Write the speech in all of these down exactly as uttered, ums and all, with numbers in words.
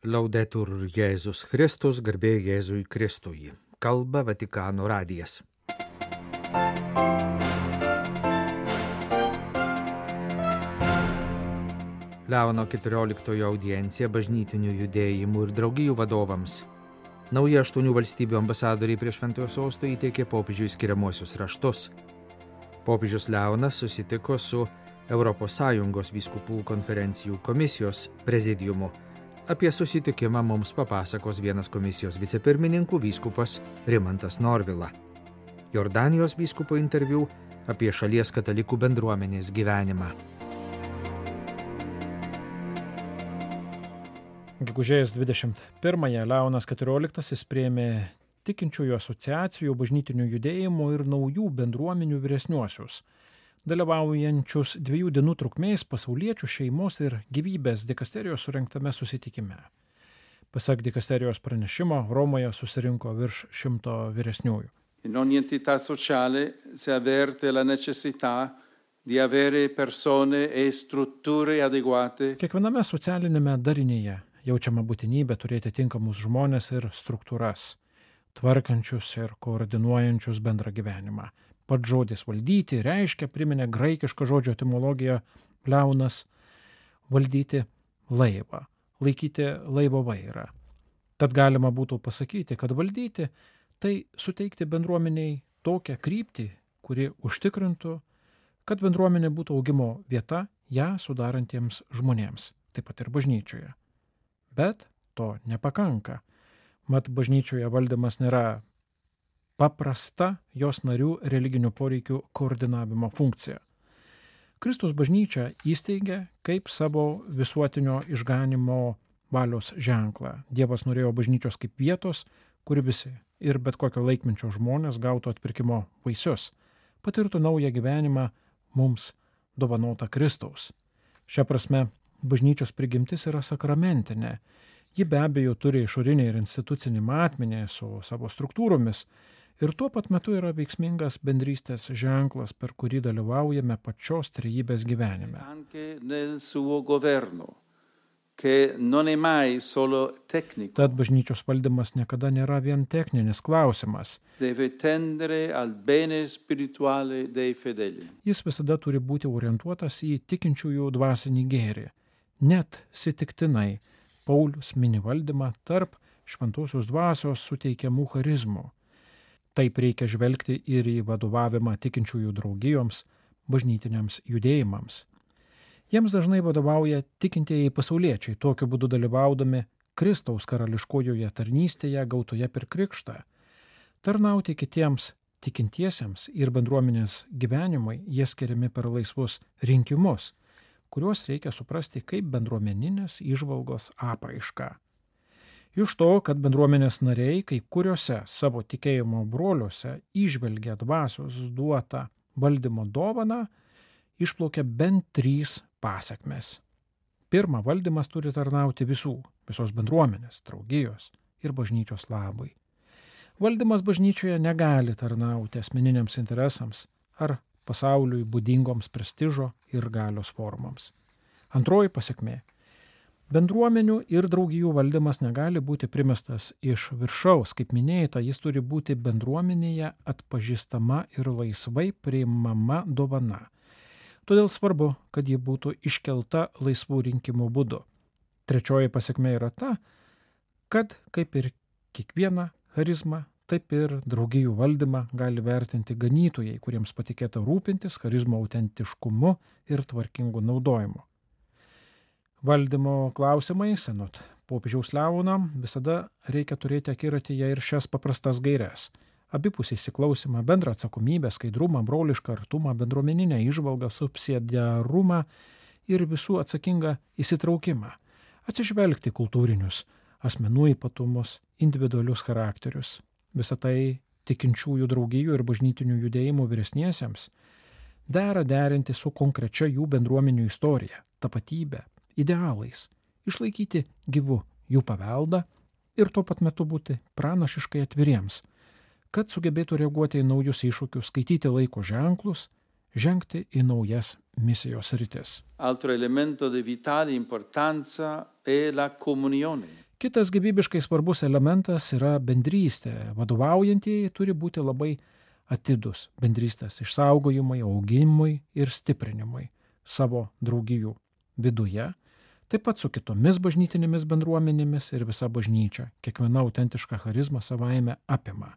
Laudetur Jėzus Kristus, garbė Jėzui Kristui. Kalba Vatikano radijas. Leono keturioliktojo audiencija bažnytinių judėjimų ir draugijų vadovams. Nauji aštuonių valstybių ambasadoriai prie Šventojo sosto įteikė popiežiui skiriamuosius raštus. Popiežius Leonas susitiko su Europos Sąjungos vyskupų konferencijų komisijos prezidiumu. Apie susitikimą mums papasakos vienas komisijos vicepirmininkų vyskupas Rimantas Norvila. Jordanijos vyskupo interviu apie šalies katalikų bendruomenės gyvenimą. Gegužės dvidešimt pirmąją Leonas keturioliktasis priėmė tikinčiųjų asociacijų, bažnytinių judėjimų ir naujų bendruomenių vyresniuosius, dalyvaujančius dviejų dienų trukmės pasauliečių šeimos ir gyvybės dikasterijos surengtame susitikime. Pasak dikasterijos pranešimo, Romoje susirinko virš šimto vyresniųjų. In ogni entità sociale si avverte la necessità di avere persone e strutture adeguate. Kiekviename socialinėme darinyje jaučiama būtinybė turėti tinkamus žmones ir struktūras, tvarkančius ir koordinuojančius bendrą gyvenimą. Pats žodis valdyti reiškia, priminė graikišką žodžio etimologiją Leonas, valdyti laivą, laikyti laivo vairą. Tad galima būtų pasakyti, kad valdyti tai suteikti bendruomeniai tokią kryptį, kuri užtikrintų, kad bendruomenė būtų augimo vieta ją sudarantiems žmonėms, taip pat ir bažnyčioje. Bet to nepakanka. Mat bažnyčioje valdymas nėra paprasta jos narių religinių poreikių koordinavimo funkcija. Kristus bažnyčią įsteigė kaip savo visuotinio išganimo valios ženklą. Dievas norėjo bažnyčios kaip vietos, kur visi ir bet kokio laikmečio žmonės gautų atpirkimo vaisius, patirtų naują gyvenimą mums dovanotą Kristaus. Šia prasme, bažnyčios prigimtis yra sakramentinė. Ji be abejo turi išorinį ir institucinį matmenį su savo struktūromis ir tuo pat metu yra veiksmingas bendrystės ženklas, per kurį dalyvaujame pačios trejybės gyvenime. Anche nel suo governo, che non è mai solo tecnico. Tad bažnyčios valdymas niekada nėra vien techninis klausimas. Deve tendere al bene spirituale dei fedeli. Jis visada turi būti orientuotas į tikinčiųjų dvasinį gėrį. Net sitiktinai Paulius mini valdymą tarp šventosios dvasios suteikiamų charizmų. Taip reikia žvelgti ir į vadovavimą tikinčiųjų draugijoms, bažnytiniams judėjimams. Jiems dažnai vadovauja tikintieji pasauliečiai, tokiu būdu dalyvaudami Kristaus karališkojoje tarnystėje gautoje per krikštą. Tarnauti kitiems tikintiesiems ir bendruomenės gyvenimui jie skiriami per laisvus rinkimus, kuriuos reikia suprasti kaip bendruomeninės įžvalgos apraišką. Iš to, kad bendruomenės nariai kai kuriuose savo tikėjimo broliuose įžvelgia dvasios duotą valdymo dovaną, išplaukia bent trys pasekmės. Pirma, valdymas turi tarnauti visų, visos bendruomenės, draugijos ir bažnyčios labui. Valdymas bažnyčioje negali tarnauti asmeniniams interesams ar pasauliui būdingoms prestižo ir galios formoms. Antroji pasekmė. Bendruomenių ir draugijų valdymas negali būti primestas iš viršaus. Kaip minėta, jis turi būti bendruomenėje atpažįstama ir laisvai priimama dovana. Todėl svarbu, kad ji būtų iškelta laisvų rinkimų būdu. Trečioji pasekmė yra ta, kad kaip ir kiekvieną charizmą, taip ir draugijų valdymą gali vertinti ganytojai, kuriems patikėta rūpintis charizmo autentiškumu ir tvarkingu naudojimu. Valdymo klausimai, anot popiežiaus Leono, visada reikia turėti akiratyje ir šias paprastas gaires. Abipusį įsiklausimą, bendrą atsakomybę, skaidrumą, brolišką artumą, bendruomeninę įžvalgą, subsidiarumą ir visų atsakingą įsitraukimą. Atsižvelgti kultūrinius, asmenų ypatumus, individualius charakterius. Visą tai tikinčiųjų draugijų ir bažnytinių judėjimų vyresniesiems dera derinti su konkrečia jų bendruomenių istorija, tapatybė, idealais, išlaikyti gyvu jų paveldą ir tuo pat metu būti pranašiškai atviriems, kad sugebėtų reaguoti į naujus iššūkius, skaityti laiko ženklus, žengti į naujas misijos sritis. Altro elemento di vitale importanza è la comunione. Kitas gyvybiškai svarbus elementas yra bendrystė. Vadovaujantieji turi būti labai atidus bendrystės išsaugojimui, augimui ir stiprinimui savo draugijų viduje, taip pat su kitomis bažnytinėmis bendruomenėmis ir visa bažnyčia. Kiekviena autentiška charizma savaime apima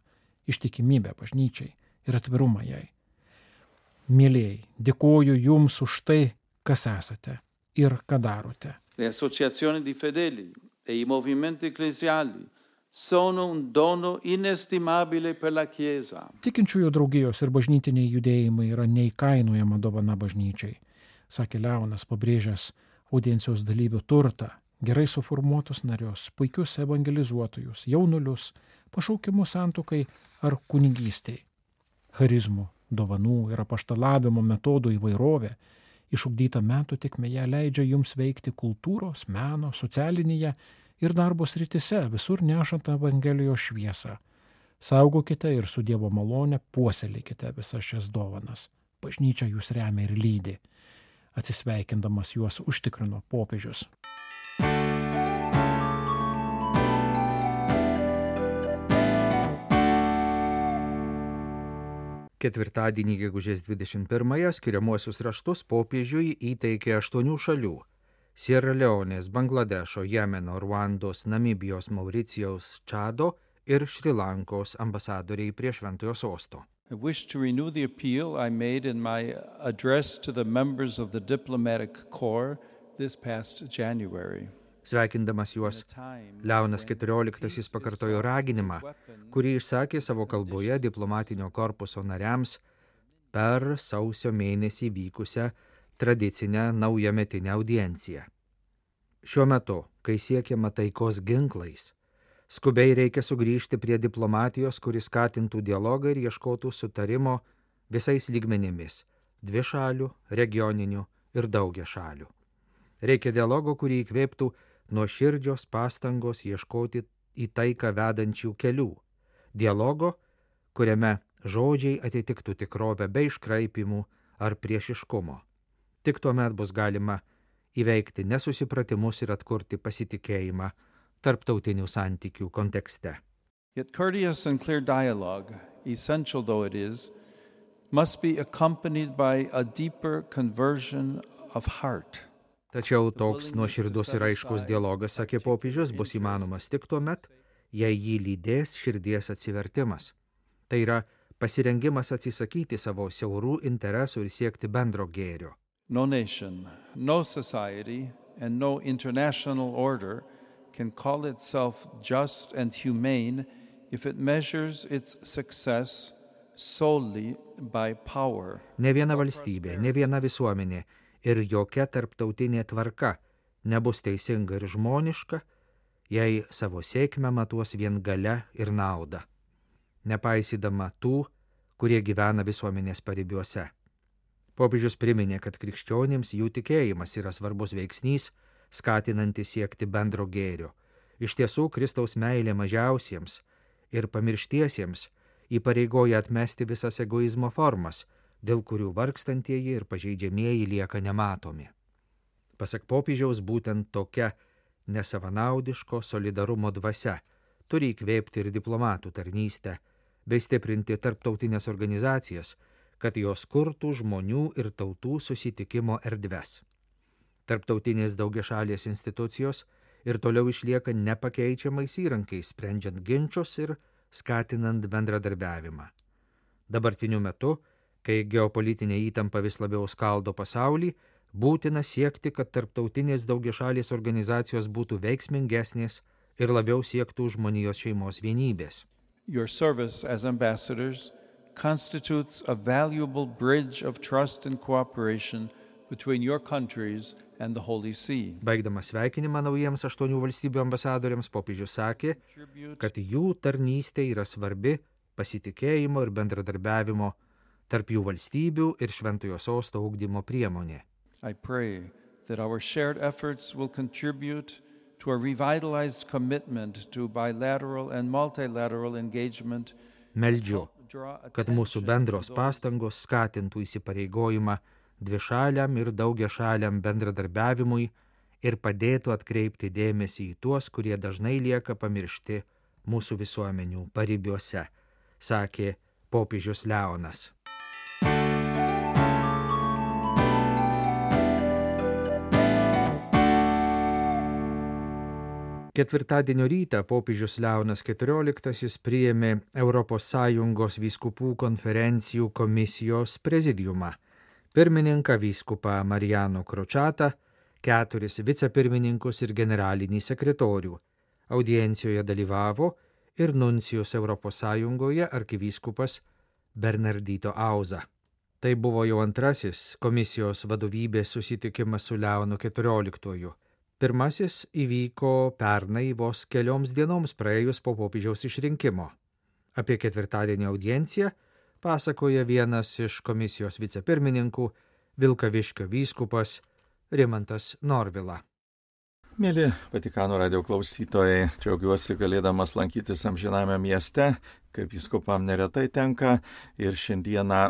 ištikimybę bažnyčiai ir atvirumą jai. Mielieji, dėkoju jums už tai, kas esate ir ką darote. Le associazioni di fedeli e i movimenti ecclesiali sono un dono inestimabile per la Chiesa. Tikinčiųjų draugijos ir bažnytiniai judėjimai yra neįkainojama dovana bažnyčiai, sakė Leonas, pabrėžęs audiencijos dalyvių turtą, gerai suformuotus narius, puikius evangelizuotojus, jaunulius, pašaukimus santuokai ar kunigystei. Charizmų, dovanų ir apaštalavimo metodų įvairovė, išugdyta metų tėkmėje, leidžia jums veikti kultūros, meno, socialinėje ir darbo srityse, visur nešant Evangelijos šviesą. Saugokite ir su Dievo malone puoselėkite visas šias dovanas. Bažnyčia jūs remia ir lydi. Atsisveikindamas juos užtikrino popiežius. Ketvirtadienį gegužės dvidešimt pirmąją skiriamuosius raštus popiežiui įteikė aštuonių šalių – Sierra Leonės, Bangladešo, Jemeno, Ruandos, Namibijos, Mauricijaus, Čado ir Šri Lankos ambasadoriai prie Šventojo sosto. I wish to renew the appeal I made in my address to the members of the diplomatic corps this past January. Sveikindamas juos, Leonas keturioliktasis pakartojo raginimą, kurį išsakė savo kalboje diplomatinio korpuso nariams per sausio mėnesį vykusią tradicinę naujametinę audienciją. Šiuo metu, kai siekiama taikos ginklais, skubiai reikia sugrįžti prie diplomatijos, kuris skatintų dialogą ir ieškotų sutarimo visais lygmenimis – dvišalių, regioninių ir daugiašalių. Reikia dialogo, kurį įkvėptų nuoširdžios pastangos ieškoti į taiką vedančių kelių. Dialogo, kuriame žodžiai atitiktų tikrovę be iškraipimų ar priešiškumo. Tik tuomet bus galima įveikti nesusipratimus ir atkurti pasitikėjimą tarptautinių santykių kontekste. Yet courteous and clear dialogue, essential though it is, must be accompanied by a deeper conversion of heart. Tačiau toks nuoširdus ir aiškus dialogas, sakė popiežius, bus įmanomas tik tuomet, jei jį lydės širdies atsivertimas. Tai yra pasirengimas atsisakyti savo siaurų interesų ir siekti bendro gėrio. No nation, no society, and no international order can call itself just and humane if it measures its success solely by power. Ne viena valstybė, ne viena visuomenė ir jokia tarptautinė tvarka nebus teisinga ir žmoniška, jei savo sėkmę matuos vien galia ir nauda, nepaisydama tų, kurie gyvena visuomenės paribiuose. Popiežius priminė, kad krikščionims jų tikėjimas yra svarbus veiksnys, skatinantis siekti bendro gėrio. Iš tiesų, Kristaus meilė mažiausiems ir pamirštiesiems įpareigoja atmesti visas egoizmo formas, dėl kurių vargstantieji ir pažeidžiamieji lieka nematomi. Pasak popiežiaus, būtent tokia nesavanaudiško solidarumo dvasia turi įkvėpti ir diplomatų tarnystę, bei stiprinti tarptautinės organizacijas, kad jos kurtų žmonių ir tautų susitikimo erdves. Tarptautinės daugiašalės institucijos ir toliau išlieka nepakeičiamais įrankiais, sprendžiant ginčus ir skatinant bendradarbiavimą. Dabartiniu metu, kai geopolitinė įtampa vis labiau skaldo pasaulį, būtina siekti, kad tarptautinės daugiašalės organizacijos būtų veiksmingesnės ir labiau siektų žmonijos šeimos vienybės. Your service as ambassadors constitutes a valuable bridge of trust and cooperation between your countries and the Holy See. Baigdamas sveikinimą naujiems aštuonių valstybių ambasadoriams, popiežius sakė, kad jų tarnystė yra svarbi pasitikėjimo ir bendradarbiavimo tarp jų valstybių ir Šventojo sosto ugdymo priemonė. I pray that our shared efforts will contribute to a revitalized commitment to bilateral and multilateral engagement. Meldžiu, kad mūsų bendros pastangos skatintų įsipareigojimą dvišaliam ir daugiašaliam bendradarbiavimui ir padėtų atkreipti dėmesį į tuos, kurie dažnai lieka pamiršti mūsų visuomenių paribiuose, sakė popiežius Leonas. Ketvirtadienio rytą popiežius Leonas keturioliktasis priėmė Europos Sąjungos vyskupų konferencijų komisijos prezidiumą, pirmininką vyskupą Mariano Kročatą, keturis vicepirmininkus ir generalinį sekretorių. Audiencijoje dalyvavo ir nuncijus Europos Sąjungoje arkivyskupas Bernardito Auza. Tai buvo jau antrasis komisijos vadovybės susitikimas su Leonu keturioliktuoju. Pirmasis įvyko pernai vos kelioms dienoms praėjus po popiežiaus išrinkimo. Apie ketvirtadienio audienciją pasakoja vienas iš komisijos vicepirmininkų, Vilkaviškio vyskupas Rimantas Norvila. Mėly Vatikano radijo klausytojai, džiaugiuosi galėdamas lankytis amžiname mieste, kaip vyskupam neretai tenka, ir šiandieną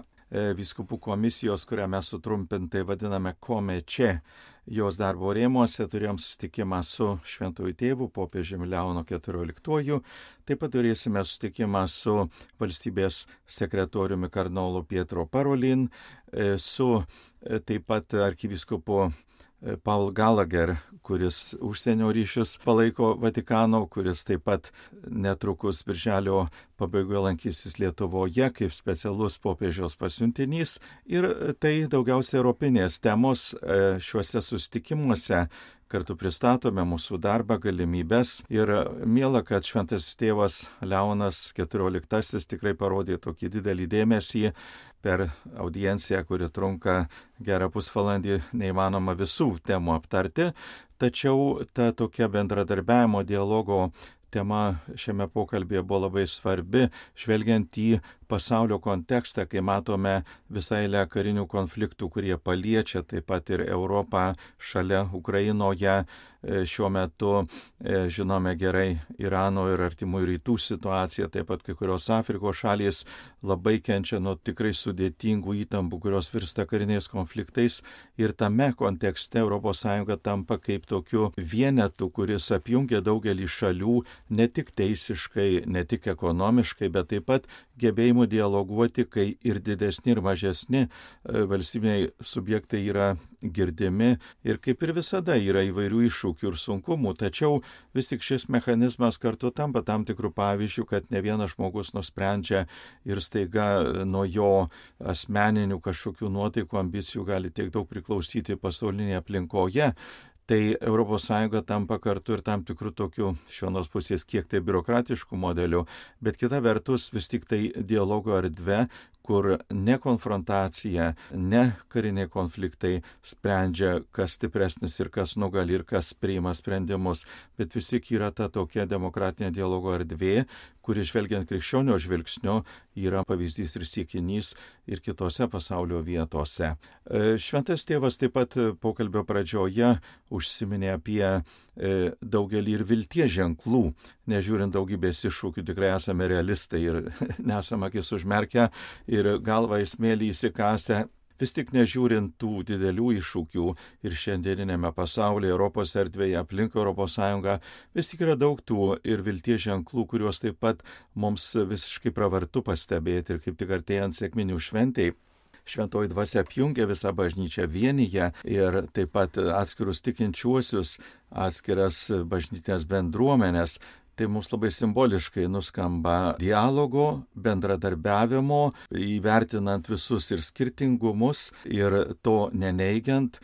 vyskupų komisijos, kurią mes sutrumpintai vadiname Komeče, jos darbo rėmuose turėjom susitikimą su šventuoju tėvu, popiežiumi Leonu keturioliktuoju, taip pat turėsime susitikimą su valstybės sekretoriumi kardinolu Pietro Parolin, su taip pat arkivyskupu Paul Gallagher, kuris užsienio ryšius palaiko Vatikano, kuris taip pat netrukus birželio pabaigoje lankysis Lietuvoje kaip specialus popiežiaus pasiuntinys. Ir tai daugiausiai europinės temos šiuose susitikimuose. Kartu pristatome mūsų darbą, galimybės ir miela, kad šventasis tėvas Leonas keturioliktasis tikrai parodė tokį didelį dėmesį per audienciją, kuri trunka gerą pusvalandį, neįmanoma visų temų aptarti, tačiau ta tokia bendradarbiavimo dialogo tema šiame pokalbėje buvo labai svarbi, žvelgiant į pasaulio kontekstą, kai matome visą eilę karinių konfliktų, kurie paliečia taip pat ir Europą šalia Ukrainoje. Šiuo metu žinome gerai Irano ir Artimųjų rytų situaciją, taip pat kai kurios Afrikos šalys labai kenčia nuo tikrai sudėtingų įtampų, kurios virsta kariniais konfliktais. Ir tame kontekste Europos Sąjunga tampa kaip tokiu vienetu, kuris apjungia daugelį šalių, ne tik teisiškai, ne tik ekonomiškai, bet taip pat gebėjimų dialoguoti, kai ir didesni, ir mažesni valstybiniai subjektai yra girdimi. Ir kaip ir visada yra įvairių iššūkių ir sunkumų, tačiau vis tik šis mechanizmas kartu tampa tam tikrų pavyzdžių, kad ne vienas žmogus nusprendžia ir staiga nuo jo asmeninių kažkokių nuotaikų, ambicijų gali tiek daug priklausyti pasaulinėje aplinkoje. Tai Europos Sąjunga tampa kartu ir tam tikrų tokių iš vienos pusės kiek tai biurokratiškų modelių, bet kita vertus vis tik tai dialogo erdvė, kur ne konfrontacija, ne kariniai konfliktai sprendžia, kas stipresnis ir kas nugali ir kas priima sprendimus, bet vis tik yra ta tokia demokratinė dialogo erdvė, kuri žvelgiant krikščionio žvilgsnio yra pavyzdys ir siekinys ir kitose pasaulio vietose. Šventas tėvas taip pat pokalbio pradžioje užsiminė apie daugelį ir vilties ženklų. Nežiūrint daugybės iššūkių, tikrai esame realistai ir nesame akis užmerkę ir galvą į smėlį įsikasę. Vis tik nežiūrint tų didelių iššūkių ir šiandieninėme pasaulyje, Europos erdvėje, aplink Europos Sąjungą, vis tik yra daug tų ir vilties ženklų, kuriuos taip pat mums visiškai pravartu pastebėti ir kaip tik artėjant sekminių šventei. Šventoji dvasia apjungia visą bažnyčią, vienyje ir taip pat atskirus tikinčiuosius, atskiras bažnytinės bendruomenės. Tai mums labai simboliškai nuskamba dialogo, bendradarbiavimo, įvertinant visus ir skirtingumus ir to neneigiant,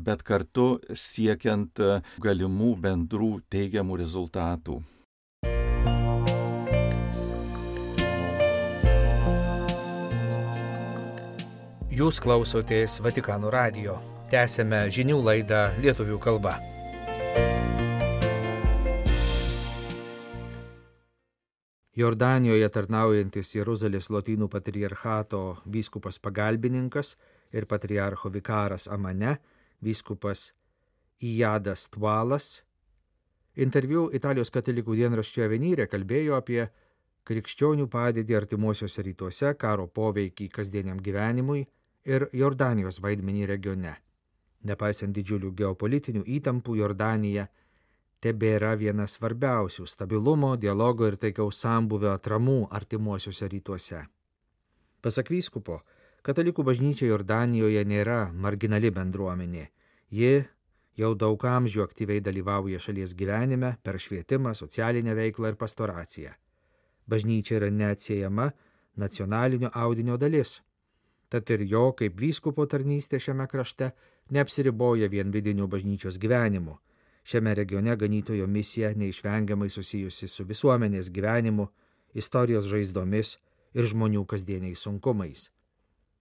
bet kartu siekiant galimų bendrų teigiamų rezultatų. Jūs klausotės Vatikano radijo. Tęsėme žinių laidą lietuvių kalba. Jordanijoje tarnaujantis Jeruzalės Lotynų patriarchato vyskupas pagalbininkas ir patriarcho vikaras Amane, vyskupas Ijadas Tvalas, interviu Italijos katalikų dienraščio Avenire kalbėjo apie krikščionių padėtį artimuosiuose rytuose, karo poveikį kasdieniam gyvenimui ir Jordanijos vaidmenį regione. Nepaisant didžiulių geopolitinių įtampų, Jordanija tebėra viena svarbiausių stabilumo, dialogo ir taikaus sambuvio atramų artimuosiuose rytuose. Pasak vyskupo, katalikų bažnyčia Jordanijoje nėra marginali bendruomenė. Ji jau daug amžių aktyviai dalyvauja šalies gyvenime per švietimą, socialinę veiklą ir pastoraciją. Bažnyčia yra neatsiejama nacionalinio audinio dalis. Tad ir jo kaip vyskupo tarnystė šiame krašte neapsiriboja vien vidiniu bažnyčios gyvenimu. Šiame regione ganytojo misija neišvengiamai susijusi su visuomenės gyvenimu, istorijos žaizdomis ir žmonių kasdieniais sunkumais.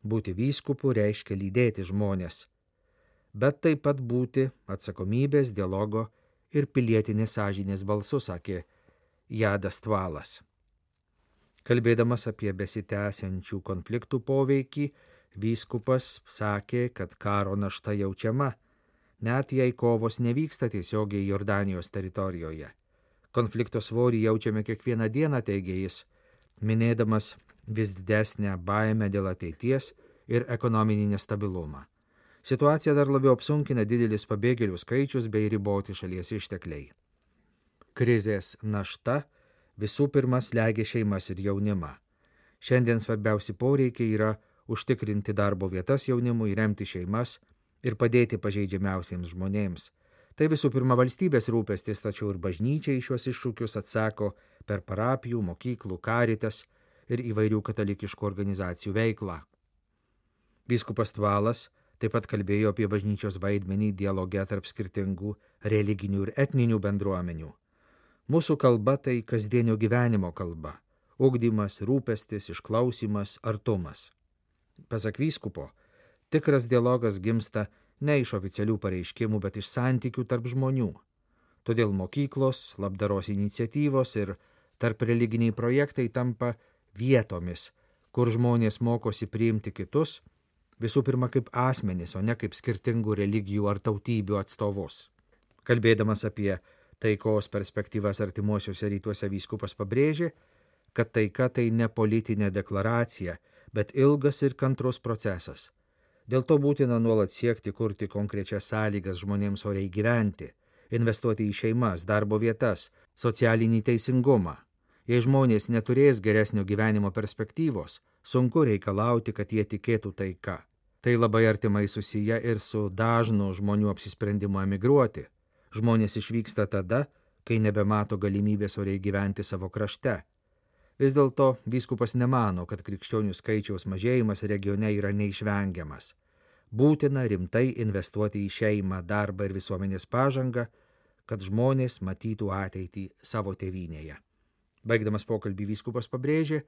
Būti vyskupu reiškia lydėti žmonės, bet taip pat būti atsakomybės, dialogo ir pilietinės sąžinės balsu, sakė Jadas Tvalas. Kalbėdamas apie besitęsiančių konfliktų poveikį, vyskupas sakė, kad karo našta jaučiama, net jei kovos nevyksta tiesiogiai Jordanijos teritorijoje. Konflikto svorį jaučiame kiekvieną dieną, teigė jis, minėdamas vis didesnę baimę dėl ateities ir ekonominį nestabilumą. Situaciją dar labiau apsunkina didelis pabėgėlių skaičius bei riboti šalies ištekliai. Krizės našta visų pirma slegia šeimas ir jaunimą. Šiandien svarbiausi poreikiai yra užtikrinti darbo vietas jaunimui, remti šeimas ir padėti pažeidžiamiausiems žmonėms. Tai visų pirma valstybės rūpestis, tačiau ir bažnyčia į šios iššūkius atsako per parapijų, mokyklų, karitas ir įvairių katalikiškų organizacijų veiklą. Vyskupas Tvalas taip pat kalbėjo apie bažnyčios vaidmenį dialoge tarp skirtingų religinių ir etninių bendruomenių. Mūsų kalba tai kasdienio gyvenimo kalba – ugdymas, rūpestis, išklausimas, artumas. Pasak vyskupo, tikras dialogas gimsta ne iš oficialių pareiškimų, bet iš santykių tarp žmonių. Todėl mokyklos, labdaros iniciatyvos ir tarp religiniai projektai tampa vietomis, kur žmonės mokosi priimti kitus, visų pirma kaip asmenys, o ne kaip skirtingų religijų ar tautybių atstovus. Kalbėdamas apie taikos perspektyvas artimuosiuose rytuose, vyskupas pabrėžė, kad taika tai ne politinė deklaracija, bet ilgas ir kantrus procesas. Dėl to būtina nuolat siekti kurti konkrečias sąlygas žmonėms oriai gyventi, investuoti į šeimas, darbo vietas, socialinį teisingumą. Jei žmonės neturės geresnio gyvenimo perspektyvos, sunku reikalauti, kad jie tikėtų taika. Tai labai artimai susiję ir su dažnu žmonių apsisprendimu emigruoti. Žmonės išvyksta tada, kai nebemato galimybės oriai gyventi savo krašte. Vis dėlto vyskupas nemano, kad krikščionių skaičiaus mažėjimas regione yra neišvengiamas. Būtina rimtai investuoti į šeimą, darbą ir visuomenės pažangą, kad žmonės matytų ateitį savo tėvynėje. Baigdamas pokalbį vyskupas pabrėžė,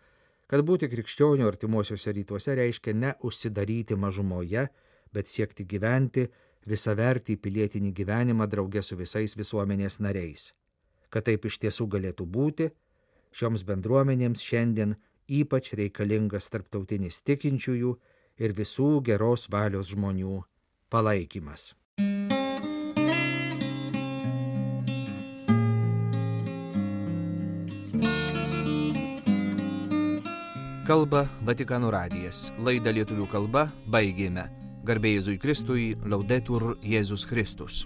kad būti krikščionių artimuosiuose rytuose reiškia ne užsidaryti mažumoje, bet siekti gyventi visavertį pilietinį gyvenimą drauge su visais visuomenės nariais. Kad taip iš tiesų galėtų būti, šioms bendruomenėms šiandien ypač reikalingas tarptautinis tikinčiųjų ir visų geros valios žmonių palaikymas. Kalba Vatikano radijas. Laidą lietuvių kalba baigėme. Garbė Jėzui Kristui, Laudetur Jėzus Kristus.